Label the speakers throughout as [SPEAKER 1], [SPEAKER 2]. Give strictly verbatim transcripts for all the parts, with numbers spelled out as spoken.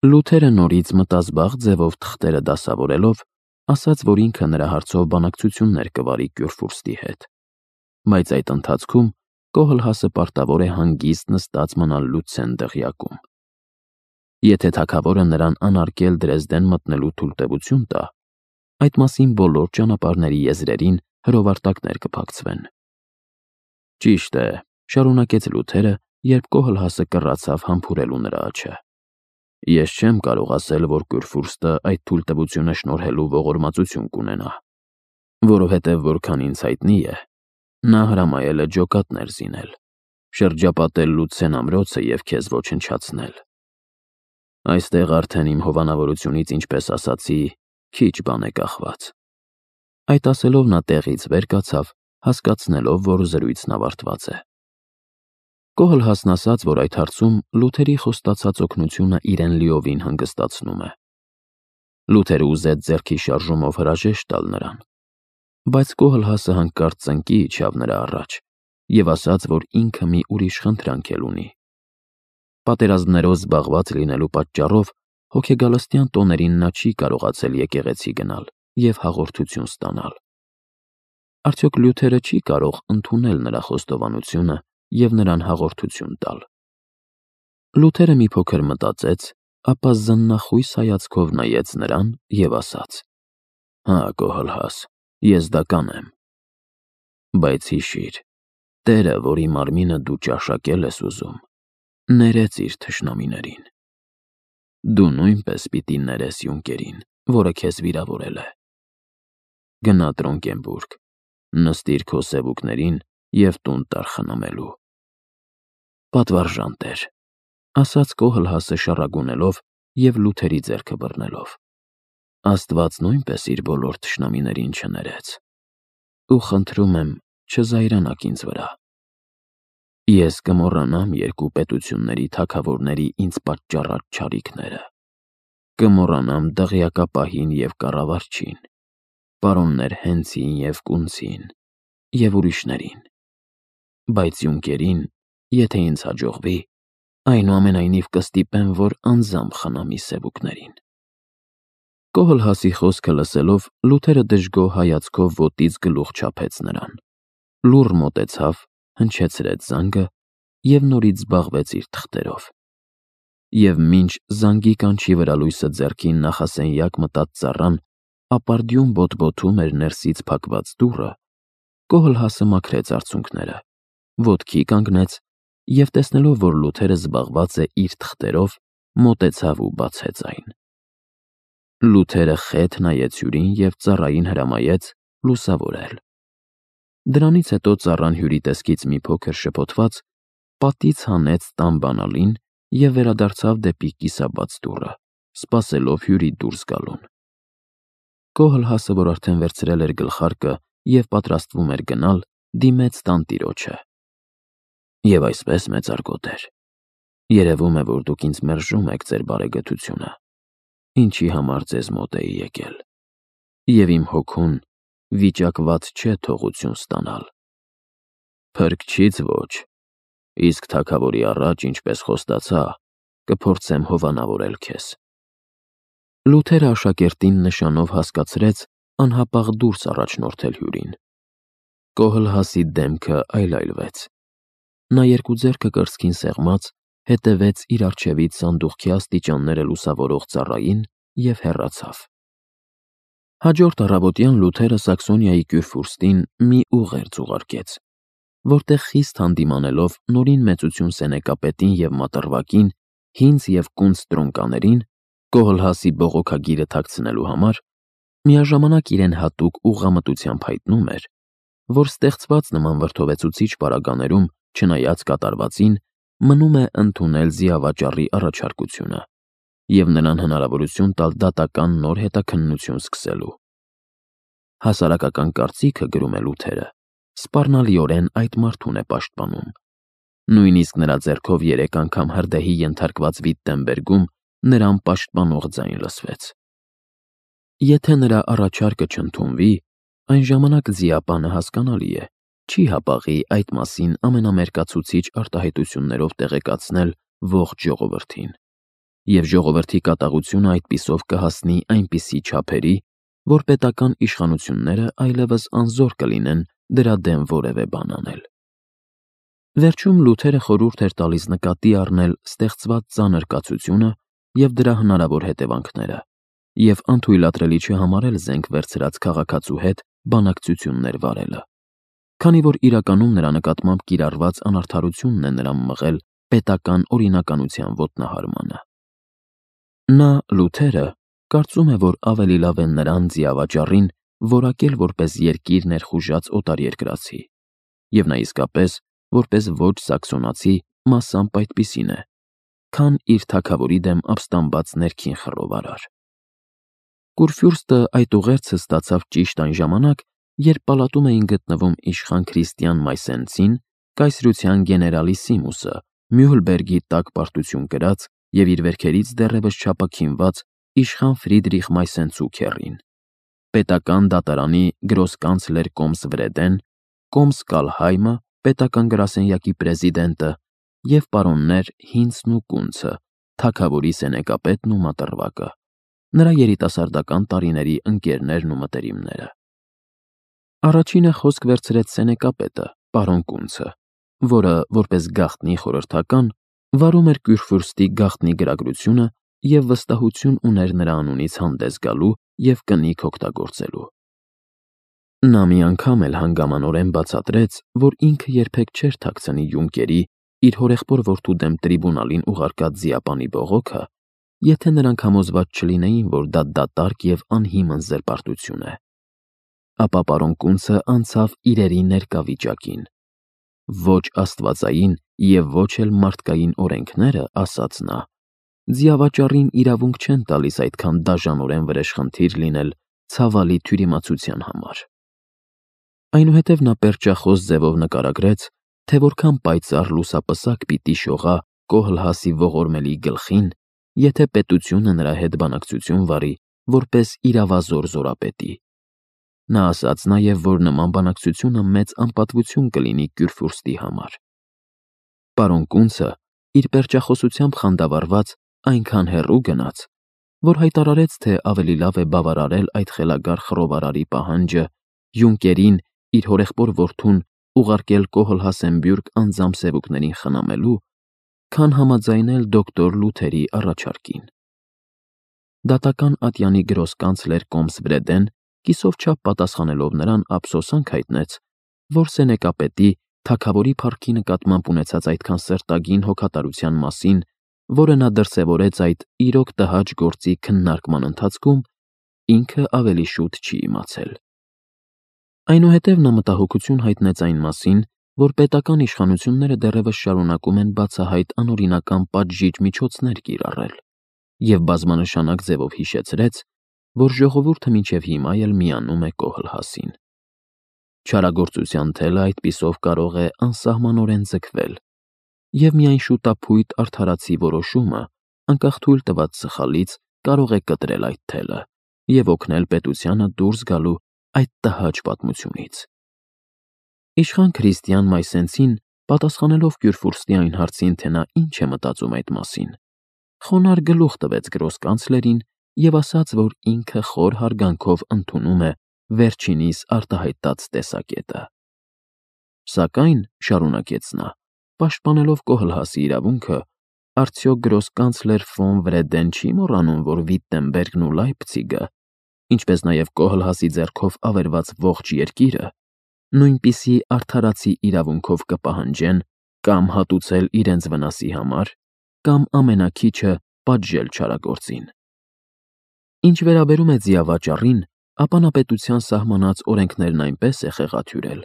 [SPEAKER 1] Լութերը նորից մտազբաղ ձևով թղթերը դասավորելով, ասաց, որ ինքը նրա հարցով բանակցություններ կվարի Կյուրֆուրստի հետ, բայց այդ ընթացքում Կոհլհասը պարտավոր է հանգիստ նստած մնալ Լուցեն դղյակում։ Եթե թագավորը նրան անարգել Դրեզդեն մտնելու թույլտվություն տա, այդ մասին բոլոր ճանապարհների եզրերին հրովարտակներ կփակցվեն։ Ճիշտ է, շարունակեց Լութերը, երբ Կոհլհասը կռացավ համբուրելու նրա աչքը։ Ես չեմ կարող ասել, որ Կյուրֆուրստը այդ թույլտվությունը շնորհելու ողորմածություն կունենա, որովհետև որքան ինձ հայտնի է, նա հրամայել է ջոկատներ զինել, շրջապատել Լուցեն ամրոցը և քեզ ոչնչացնել։ Այստեղ արդեն իմ հովանավորությունից, ինչպես ասացի, քիչ բան է կախված։ Այդ ասելով նա տեղից վեր կացավ, հասկացնելով, որ զրույցն ավարտված է։ Կոհլհասն ասաց, որ այդ հարցում Լութերի խոստացած օգնությունը իրեն լիովին հանգստացնում է։ Լութերը ուզեց ձեռքի շարժումով հրաժեշտ տալ նրան, բայց Կոհլհասը հանկարծ ծնկի իջավ նրա առաջ և ասաց, որ ինքը մի ուրիշ խնդրանք էլ ունի։ Պատերազմներով զբաղված լինելու պատճառով հոգեգալստյան տոներին նա չի կարողացել եկեղեցի գնալ և հաղորդություն ստանալ։ Արդյոք Լյութերը չի կարող ընդունել նրա խոստովանությունը և նրան հաղորդություն տալ։ Լութերը մի փոքր մտածեց, ապա զննախույս հայացքով նայեց նրան և ասաց. Հա, Կոհլհաս, ես դա կանեմ։ Բայց հիշիր, Տերը, որի մարմինը դու ճաշակել ես ուզում, ներեց իր թշնամիներին։ Դու նույնպես պիտի ներես Յունկերին, որը քեզ վիրավորել է։ Գնա Տրոնկենբուրգ, նստիր քո սևուկներին և տուն տար խնամելու։ Պատվարժան տեր, ասաց Կոհլհասը շառագունելով և Լութերի ձեռքը բռնելով։ Աստված նույնպես իր բոլոր թշնամիներին չներեց։ Ու խնդրում եմ, չզայրանաք ինձ վրա։ Ես կմոռանամ երկու պետությունների թագավորների ինձ պատճառած չարիքները, կմոռանամ դղյակապահին և կառավարչին, պարոններ Հենցին և Կունցին և ուրիշներին, բայց Յունկերին, եթե ինձ հաջողվի, այնուամենայնիվ կստիպեմ, որ անձամբ խնամի սևուկներին։ Կոհլհասի խոսքը լսելով, Լութերը դժգոհ հայացքով ոտից գլուխ չափեց նրան, լուռ մոտեցավ, հնչեցրեց զանգը և նորից զբաղվեց իր թղթերով։ Եվ մինչ զանգի կանչի վրա լույսը ձեռքին նախասենյակ մտած ծառան ապարդյուն բոտբոթում էր ներսից փակված դուռը, Կոհլհասը մաքրեց արցունքները, ոտքի կանգնեց և, տեսնելով, որ Լութերը զբաղված է իր թղթերով, մոտեցավ ու բացեց այն։ Լութերը խետ նայեց հյուրին և ծառային հրամայեց լուսավորել։ Դրանից հետո ծառան հյուրի տեսքից մի փոքր շփոթված, պատից հանեց տան բանալին և վերադարձավ դեպի կիսաբաց դուռը, սպասելով հյուրի դուրս գալուն։ Կոհլհասը, որ արդեն վերցրել էր գլխարկը և պատրաստվում էր գնալ, դիմեց տանտիրոջը։ Եվ այսպես, մեծարգո տեր, երևում է, որ դուք ինձ մերժում եք ձեր բարեգթությունը, ինչի համար ձեզ մոտ էի եկել, և իմ հոգուն վիճակված չէ թողություն ստանալ։ Փրկչից ոչ, իսկ թագավորի առաջ, ինչպես խոստացա, կփորձեմ հովանավորել քեզ։ Լութերը աշակերտին նշանով հասկացրեց անհապաղ դուրս առաջնորդել հյուրին։ Կոհլհասի դեմքը այլայլվեց։ Նա երկու ձեռքը կրծքին սեղմած, հետևեց իր առջևից սանդուղքի աստիճանները լուսավորող ծառային և հեռացավ։ Հաջորդ առավոտյան Լութերը Սաքսոնիայի Կյուրֆուրստին մի ուղերձ ուղարկեց, որտեղ խիստ հանդիմանելով նորին մեծություն սենեկապետին և մատռվակին, հինձ և կունց տրոնկաներին, Կոհլհասի բողոքագիրը թաքցնելու համար, միաժամանակ իրեն հատուկ ուղղամտությամբ հայտնում էր, որ ստեղծված նման վրդովեցուցիչ պարագաներում, չնայած կատարվածին, մնում է ընդունել զիավաճառի առաջարկությունը և նրան հնարավորություն տալ դատական նոր հետաքննություն սկսելու։ Հասարակական կարծիքը, գրում է Լութերը, սպառնալիորեն այդ մարդուն է պաշտպանում։ Նույնիսկ նրա ձեռքով երեք անգամ հրդեհի ենթարկված Վիտտենբերգում նրան պաշտպանող ձայն լսվեց։ Եթե նրա առաջարկը չընդունվի, այն ժամանակ ձիապանը, հասկանալի է, չի հապաղի այդ մասին ամենամերկացուցիչ արտահայտություններով տեղեկացնել ողջ ժողովրդին։ և ժողովրդի կատաղությունը այդպիսով կհասնի այնպիսի չափերի, որ պետական իշխանությունները այլևս անզոր կլինեն դրա դեմ որևէ բան անել։ Վերջում Լութերը խորհուրդ էր տալիս նկատի առնել ստեղծված ծանր կացությունը և դրա հնարավոր հետևանքները, և անթույլատրելի չհամարել զենք վերցրած քաղաքացու հետ բանակցություններ վարելը, քանի որ իրականում նրա նկատմամբ կիրառված անարդարությունն է նրան մղել պետական օրինականության ոտնահարմանը։ Նա, Լութերը, կարծում է, որ ավելի լավ է նրան ձիավաճառին որակել որպես երկիր ներխուժած օտարերկրացի, և նա իսկապես, որպես ոչ սաքսոնացի, մասամբ այդպիսին է, քան իր թագավորի դեմ ապստամբած ներքին խռովարար։ Կուրֆյուրստը այդ ուղերձը ստացավ ճիշտ այն ժամանակ, երբ պալատում էին գտնվում իշխան Քրիստիան Մայսենցին, կայսրության գեներալիսիմուսը, Մյուհլբերգի տակ պարտություն կրած և իր վերքերից դեռևս չափաքինված իշխան Ֆրիդրիխ Մայսենցու պետական դատարանի գրոսկանցլեր Կոմսվրեդեն, Կոմս Կալհայմը, պետական գրասենյակի պրեզիդենտը և պարոններ Հինցն ու Կունցը, թագավորի սենեկապետն ու մատռվակը, նրա երիտասարդական տարիների ընկերներն ու մտերիմները։ Առաջինը խոսք վերցրեց սենեկապետը, պարոն Կունցը, որը, որպես գաղտնի խորհրդական, վարում էր Կյուրֆյուրստի գաղտնի գրագրությունը և վստահություն ուներ նրա անունից հանդես գալու և կնիք օգտագործելու։ Նա մի անգամ էլ հանգամանորեն բացատրեց, որ ինքը երբեք չէր թաքցնի յունկերի իր հորեղբոր որդու դեմ տրիբունալին ուղարկած ձիապանի բողոքը, եթե նրանք համոզված չլինեին, որ դա դատարկ և անհիմն զրպարտություն է։ Ապա պարոն Կունցը անցավ իրերի ներկա վիճակին։ Ոչ աստվածային և ոչ էլ մարդկային օրենքները, ասաց նա, ձիավաճառին իրավունք չեն տալիս այդքան դաժանորեն վրեժխնդիր լինել ցավալի թյուրիմացության համար։ Այնուհետև նա պերճախոս ձևով նկարագրեց, թե որքան պայծառ լուսապսակ պիտի շողա Կոհլհասի ողորմելի գլխին, եթե պետությունը նրա հետ բանակցություն վարի որպես իրավազոր զորապետի։ Նա ասաց նաև, որ նման բանակցությունը մեծ անպատվություն կլինի Կյուրֆյուրստի համար։ Պարոն Կունցը, իր պերճախոսությամբ խանդավառված, այնքան հեռու գնաց, որ հայտարարեց, թե ավելի լավ է բավարարել այդ խելագար խռովարարի պահանջը, յունկերին իր հորեղբոր որդուն ուղարկել Կոհլհասենբյուրգ անձամբ սևուկներին խնամելու, քան համաձայնել դոկտոր Լութերի առաջարկին։ Դատական ատյանի գրոսկանցլեր Կոմսվրեդեն կիսով չափ պատասխանելով նրան ափսոսանք հայտնեց, որ սենեկապետի թագավորի փառքի նկատմամբ ունեցած այդքան սրտագին հոգատարության մասին, որը նա դրսևորեց այդ իրոք տհաճ գործի քննարկման ընթացքում, ինքը ավելի շուտ չի իմացել։ Այնուհետև նա մտահոգություն հայտնեց այն մասին, որ պետական իշխանությունները դեռևս շարունակում են բացահայտ անօրինական պատժիչ միջոցներ կիրառել, և բազմանշանակ ձևով հիշեցրեց, որ ժողովուրդը մինչև հիմա էլ միանում է Կոհլհասին։ Չարագործության թելը այդպիսով կարող է անսահմանորեն ձգվել, և միայն շուտափույթ արդարացի որոշումը, անկախ թույլ տված սխալից, կարող է կտրել այդ թելը և օգնել պետությանը դուրս գալու այդ տհաճ պատմությունից։ Իշխան Քրիստիան Մայսենցին, պատասխանելով Կյուրֆյուրստի այն հարցին, թե նա ինչ է մտածում այդ մասին, խոնարհ գլուխ տվեց գրոսկանցլերին և ասաց, որ ինքը խոր հարգանքով ընդունում է վերջինիս արտահայտած տեսակետը։ Սակայն, շարունակեց նա, պաշտպանելով Կոհլհասի իրավունքը, արդյոք գրոսկանցլեր ֆոն Վրեդեն չի մոռանում, որ Վիտտենբերգն ու Լայպցիգը, ինչպես նաև Կոհլհասի ձեռքով ավերված ողջ երկիրը, նույնպիսի արդարացի իրավունքով կպահանջեն կամ հատուցել իրենց վնասի համար, կամ ամենաքիչը պատժել չարագործին։ Ինչ վերաբերում է ձիավաճառին, ապա նա պետության սահմանած օրենքներն այնպես է խեղաթյուրել,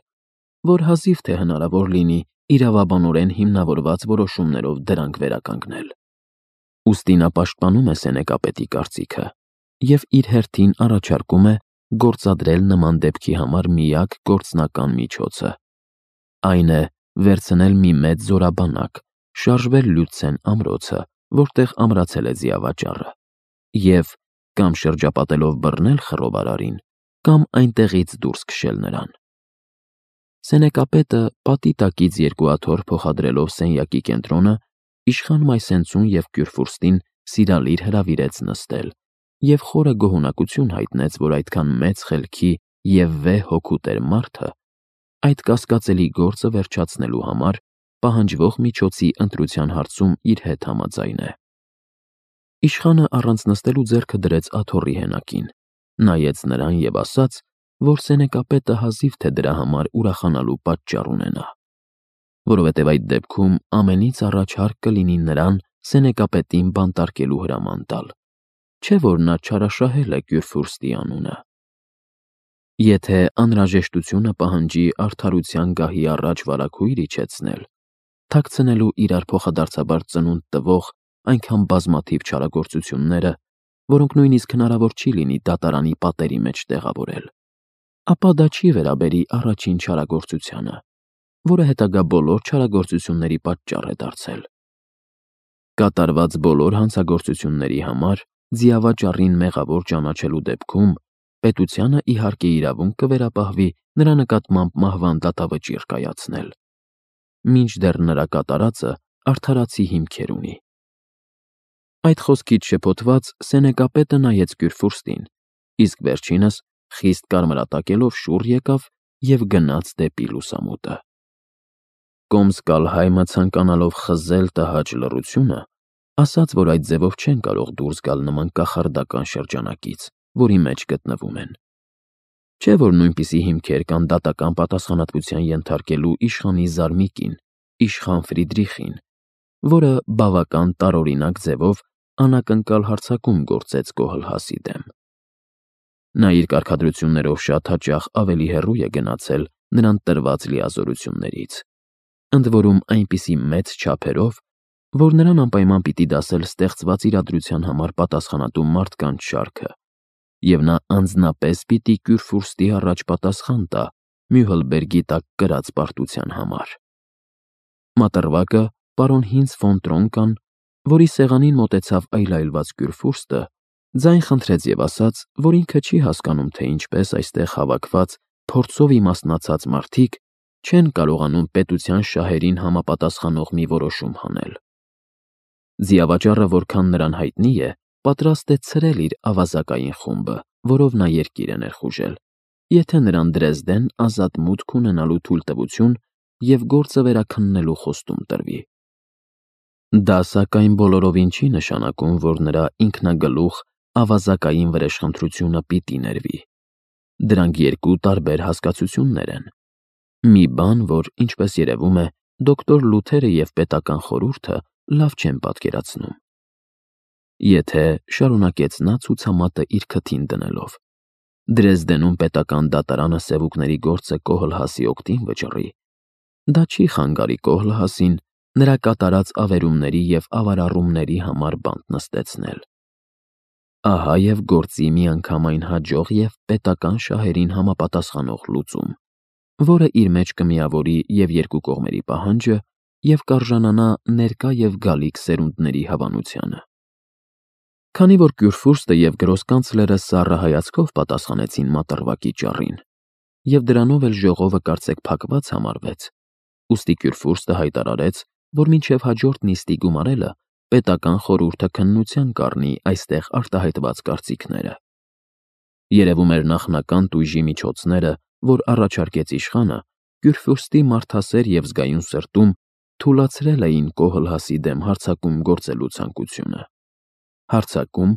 [SPEAKER 1] որ հազիվ թե հնարավոր լինի իրավաբանորեն հիմնավորված որոշումներով դրանք վերականգնել։ Ուստի նա պաշտպանում է սենեկապետի կարծիքը և իր հերթին առաջարկում է գործադրել նման դեպքի համար միակ գործնական միջոցը, այն է վերցնել մի մեծ զորաբանակ, շարժվել Լյուցեն ամրոցը, որտեղ ամրացել է ձիավաճառը, և կամ շրջապատելով բռնել խռովարարին, կամ այնտեղից դուրս քշել նրան։ Սենեկապետը պատի տակից երկու աթոռ փոխադրելով սենյակի կենտրոնը, իշխան Մայսենցուն և Կյուրֆյուրստին սիրալիր հրավիրեց նստել և խորը գոհունակություն հայտնեց, որ այդքան մեծ խելքի և վեհ հոգու տեր մարդը այդ կասկածելի գործը վերջացնելու համար պահանջվող միջոցի ընտրության հարցում իր հետ համաձայն է։ Իշխանը առանց նստելու ձեռքը դրեց աթոռի հենակին, նայեց նրան և ասաց, որ սենեկապետը հազիվ թե դրա համար ուրախանալու պատճառ ունենա, որովհետև այդ դեպքում ամենից առաջ հարկ կլինի նրան սենեկապետին բանտարկելու հրաման տալ, չէ՞ որ նա չարաշահել է Կյուրֆյուրստի անունը։ Եթե անհրաժեշտությունը պահանջի արդարության գահի առաջ վարագույր իջեցնել, թաքցնելու իրար փոխադարձաբար ծնունդ տվող այնքան բազմաթիվ չարագործությունները, որոնք նույնիսկ հնարավոր չի լինի դատարանի պատերի մեջ տեղավորել, ապա դա չի վերաբերի առաջին չարագործությանը, որը հետագա բոլոր չարագործությունների պատճառ է դարձել։ Կատարված բոլոր հանցագործությունների համար ձիավաճառին մեղավոր ճանաչելու դեպքում պետությանը իհարկե իրավունք կվերապահվի նրա նկատմամբ մահվան դատավճիռ կայացնել, մինչդեռ նրա կատարածը արդարացի հիմքեր ունի։ Այդ խոսքից շփոթված սենեկապետը նայեց Կյուրֆյուրստին, իսկ վերջինս խիստ կարմրատակելով շուռ եկավ և գնաց դեպի լուսամուտը։ Կոմս֊Կալհայմը ցանկանալով խզել տհաճ լռությունը, ասաց, որ այդ ձևով չեն կարող դուրս գալ նման կախարդական շրջանակից, որի մեջ գտնվում են։ Չէ՞ որ նույնպիսի հիմքեր կան դատական պատասխանատվության ենթարկելու իշխանի զարմիկին՝ իշխան Ֆրիդրիխին, որը բավական տարօրինակ ձևով անակնկալ հարձակում գործեց Կոհլհասի դեմ։ Նա իր կարգադրություններով շատ հաճախ ավելի հեռու է գնացել նրան տրված լիազորություններից, ընդ որում այնպիսի մեծ չափերով, որ նրան անպայման պիտի դասել ստեղծված իրադրության համար պատասխանատու մարդկանց շարքը, և նա անձնապես պիտի Կյուրֆյուրստի առաջ պատասխան տա Մյուհլբերգի տակ կրած պարտության համար։ Մատռվակը պարոն Հինց ֆոն Տրոնկան, որի սեղանին մոտեցավ այլայլված Կյուրֆյուրստը, ձայն խնդրեց և ասաց, որ ինքը չի հասկանում, թե ինչպես այստեղ հավաքված փորձով իմաստնացած մարդիկ չեն կարողանում պետության շահերին համապատասխանող մի որոշում հանել։ Ձիավաճառը, որքան նրան հայտնի է, պատրաստ է ցրել իր ավազակային խումբը, որով նա երկիր է ներխուժել, եթե նրան Դրեզդեն ազատ մուտք ունենալու թույլտվություն և գործը վերաքննելու խոստում տրվի։ Դա, սակայն, բոլորովին չի նշանակում, որ նրա ինքնագլուխ ավազակային վրեժխնդրությունը պիտի ներվի։ Դրանք երկու տարբեր հասկացություններ են։ Մի բան, որ, ինչպես երևում է, դոկտոր Լութերը և պետական խորհուրդը լավ չեն պատկերացնում։ Եթե, շարունակեց նա ցուցամատը իր քթին դնելով, Դրեզդենում պետական դատարանը սևուկների գործը Կոհլհասի օգտին վճռի, դա չի խանգարի Կոհլհասին նրա կատարած ավերումների և ավարառումների համար բանտ նստեցնել։ Ահա և գործի միանգամայն հաջող և պետական շահերին համապատասխանող լուծում, որը իր մեջ կմիավորի և երկու կողմերի պահանջը և կարժանանա ներկա և գալիք սերունդների հավանությանը։ Քանի որ Կյուրֆյուրստը և գրոսկանցլերը սառը հայացքով պատասխանեցին մատռվակի ճառին, և դրանով էլ ժողովը կարծեք փակված համարվեց, ուստի Կյուրֆյուրստը հայտարարեց, որ մինչև հաջորդ նիստի գումարելը պետական խորհուրդը քննության կառնի այստեղ արտահայտված կարծիքները։ Երևում էր նախնական տույժի միջոցները, որ առաջարկեց իշխանը, Կյուրֆյուրստի մարդասեր և զգայուն սրտում թուլացրել էին Կոհլհասի դեմ հարձակում գործելու ցանկությունը։ Հարձակում,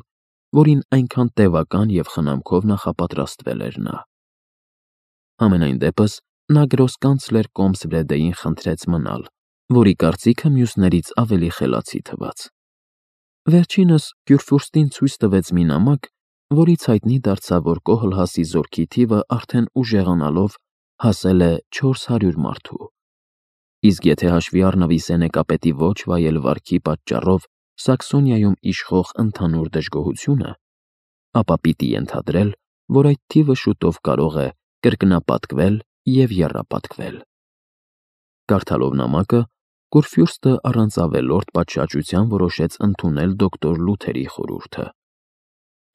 [SPEAKER 1] որին այնքան տևական և խնամքով նախապատրաստվել էր նա։ Համենայն դեպս, նա գրոսկանցլեր Կոմսվրեդեին խնդրեց մնալ, որի կարծիքը մյուսներից ավելի խելացի թվաց։ Վերջինս Կյուրֆյուրստին ցույց տվեց մի նամակ, որից հայտնի դարձավ, որ Կոհլհասի զորքի թիվը արդեն ուժեղանալով հասել է չորս հարյուր մարդու, իսկ եթե հաշվի առնվի սենեկապետի ոչ վայել վարքի պատճառով Սաքսոնիայում իշխող ընդհանուր դժգոհությունը, ապա պիտի ենթադրել, որ այդ թիվը շուտով կարող է կրկնապատկվել և եռապատկվել։ Կարդալով նամակը, Կուրֆյուրստը առանց ավելորդ պատշաճության որոշեց ընդունել դոկտոր Լութերի խորհուրդը։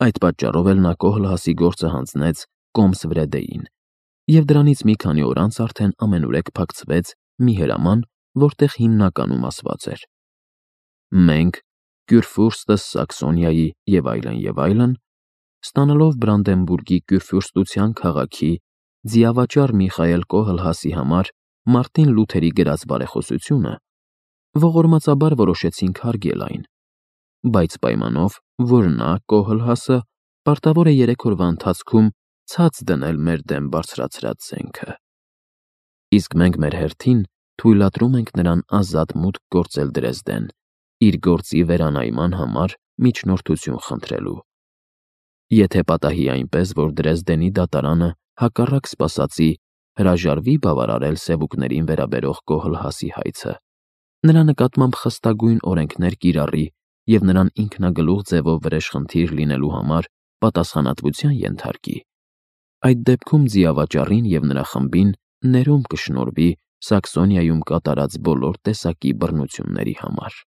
[SPEAKER 1] Այդ պատճառով էլ նա Կոհլհասի գործը հանձնեց Կոմսվրեդեին, և դրանից մի քանի օր անց արդեն ամենուրեք փակցվեց մի հրաման, որտեղ հիմնականում ասված էր. «Մենք, Կյուրֆուրստը Սաքսոնիայի և այլն, և այլն, ստանալով Բրանդենբուրգի Կյուրֆյուրստության քաղաքի ձիավաճառ Միխայել Կոհլհասի համար Մարտին Լյութերի գրած բարեխոսությունը, ողորմածաբար որոշեցինք հարգել այն, բայց պայմանով, որ նա, Կոհլհասը, պարտավոր է երեք օրվա ընթացքում ցած դնել մեր դեմ բարձրացրած զենքը։ Իսկ մենք մեր հերթին թույլատրում ենք նրան ազատ մուտք գործել Դրեզդեն, իր գործի վերանայման համար միջնորդություն խնդրելու։ Եթե պատահի այնպես, որ Դրեզդենի դատարանը, հակառակ սպասածի, հրաժարվի բավարարել սևուկներին վերաբերող Կոհլհասի հայցը, նրա նկատմամբ խստագույն օրենքներ կիրառի և նրան ինքնագլուխ ձևով վրեժխնդիր լինելու համար պատասխանատվության ենթարկի, այդ դեպքում ձիավաճառին և նրա խմբին ներում կշնորհվի Սաքսոնիայում կատարած բոլոր տեսակի բռնությունների համար։